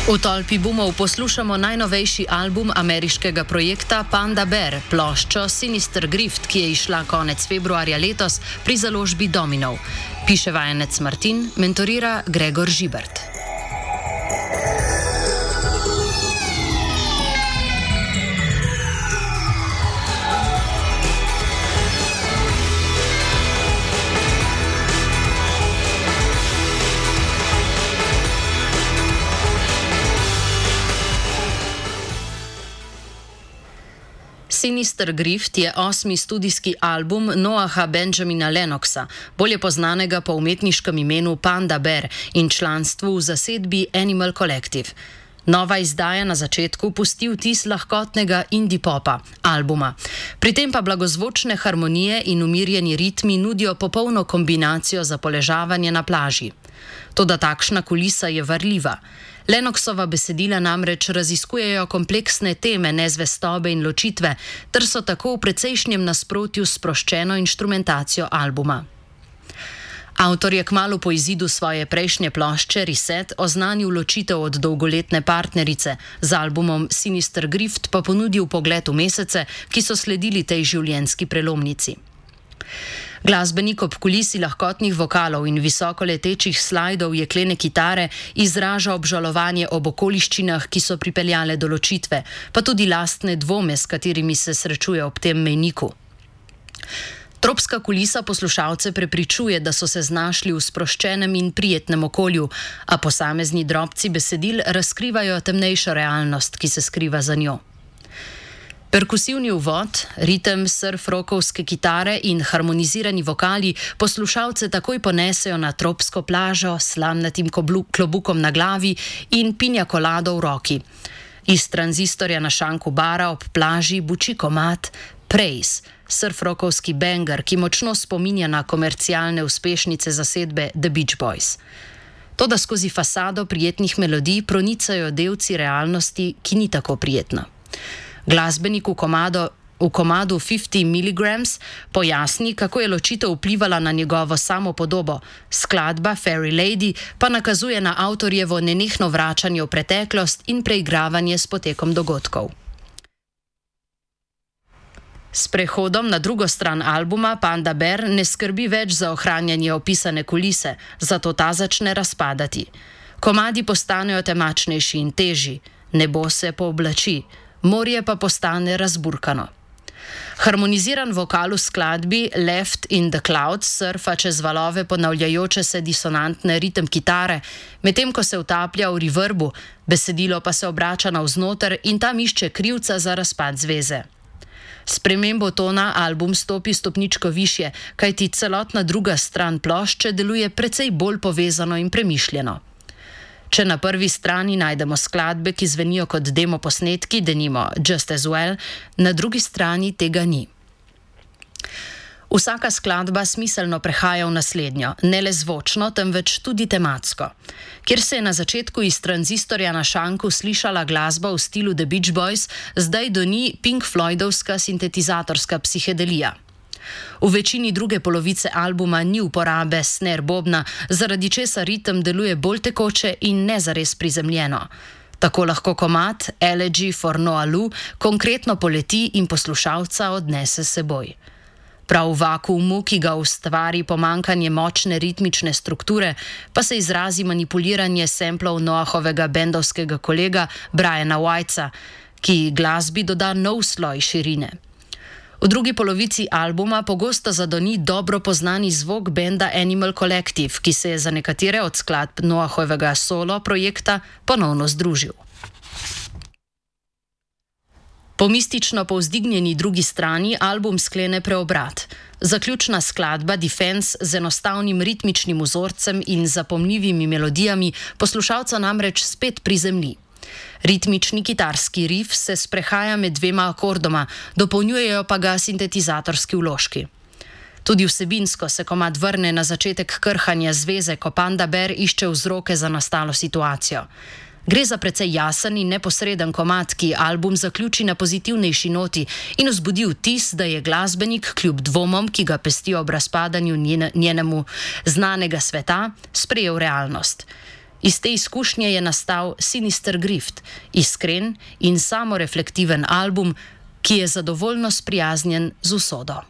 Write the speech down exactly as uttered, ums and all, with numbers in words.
V tolpi boomov poslušamo najnovejši album ameriškega projekta Panda Bear, ploščo Sinister Grift, ki je izšla konec februarja letos pri založbi Dominov. Piše vajenec Martin, mentorira Gregor Žibert. Sinister Grift je osmi studijski album Noaha Benjamina Lennoxa, bolje poznanega po umetniškem imenu Panda Bear in članstvu v zasedbi Animal Collective. Nova izdaja na začetku pusti vtis lahkotnega indie popa albuma. Pri tem pa blagozvočne harmonije in umirjeni ritmi nudijo popolno kombinacijo za poležavanje na plaži. Toda takšna kulisa je varljiva. Lennoxova besedila namreč raziskujejo kompleksne teme nezvestobe in ločitve, ter so tako v precejšnjem nasprotju s sproščeno inštrumentacijo albuma. Avtor je kmalu po izidu svoje prejšnje plošče Reset oznanil ločitev od dolgoletne partnerice, z albumom Sinister Grift pa ponudil pogled v mesece, ki so sledili tej življenjski prelomnici. Glasbenik ob kulisi lahkotnih vokalov in visokoletečih slajdov jeklene kitare izraža obžalovanje ob okoliščinah, ki so pripeljale do ločitve, pa tudi lastne dvome, s katerimi se srečuje ob tem mejniku. Tropska kulisa poslušalce prepričuje, da so se znašli v sproščenem in prijetnem okolju, a posamezni drobci besedil razkrivajo temnejšo realnost, ki se skriva za njo. Perkusivni uvod, ritem surf-rockovske kitare in harmonizirani vokali poslušalce takoj ponesejo na tropsko plažo s slamnatim klobukom na glavi in pinja kolado v roki. Iz tranzistorja na šanku bara ob plaži buči komad Praise, surf-rockovski banger, ki močno spominja na komercialne uspešnice zasedbe The Beach Boys. Toda skozi fasado prijetnih melodij pronicajo delci realnosti, ki ni tako prijetna. Glasbenik v, komado, v komadu petdeset miligrams pojasni, kako je ločitev vplivala na njegovo samopodobo. Skladba Fairy Lady pa nakazuje na avtorjevo nenehno vračanje v preteklost in preigravanje s potekom dogodkov. S prehodom na drugo stran albuma Panda Bear ne skrbi več za ohranjanje opisane kulise, zato ta začne razpadati. Komadi postanejo temačnejši in težji, nebo se pooblači, morje pa postane razburkano. Harmoniziran vokal v skladbi Left in the Clouds surfa čez valove ponavljajoče se disonantne ritem kitare, medtem ko se utaplja v reverbu, besedilo pa se obrača navznoter in tam išče krivca za razpad zveze. S spremembo tona album stopi stopničko višje, kajti celotna druga stran plošče deluje precej bolj povezano in premišljeno. Če na prvi strani najdemo skladbe, ki zvenijo kot demo posnetki, denimo Just As Well, na drugi strani tega ni. Vsaka skladba smiselno prehaja v naslednjo, ne le zvočno, temveč tudi tematsko. Kjer se je na začetku iz tranzistorja na šanku slišala glasba v stilu The Beach Boys, zdaj doni Pink Floydovska sintetizatorska psihedelija. V večini druge polovice albuma ni uporabe snare bobna, zaradi česa ritem deluje bolj tekoče in ne zares prizemljeno. Tako lahko komad Elegy for Noah Lu konkretno poleti in poslušalca odnese s seboj. Prav v vakuumu, ki ga ustvari pomankanje močne ritmične strukture, pa se izrazi manipuliranje samplov Noahovega bendovskega kolega Briana Whitesa, ki glasbi doda nov sloj širine. V drugi polovici albuma pogosto zadoni dobro poznani zvok benda Animal Collective, ki se je za nekatere od skladb Noahovega solo projekta ponovno združil. Po mistično povzdignjeni drugi strani album sklene preobrat. Zaključna skladba Defense z enostavnim ritmičnim vzorcem in zapomljivimi melodijami poslušalca namreč spet prizemlji. Ritmični kitarski rif se sprehaja med dvema akordoma, dopolnjujejo pa ga sintetizatorski vložki. Tudi vsebinsko se komad vrne na začetek krhanja zveze, ko Panda Bear išče vzroke za nastalo situacijo. Gre za precej jasen in neposreden komad, ki album zaključi na pozitivnejši noti in vzbudi vtis, da je glasbenik kljub dvomom, ki ga pestijo ob razpadanju njene, njenemu znanega sveta, sprejel realnost. Iz te izkušnje je nastal Sinister Grift, iskren in samoreflektiven album, ki je zadovoljno sprijaznjen z usodo.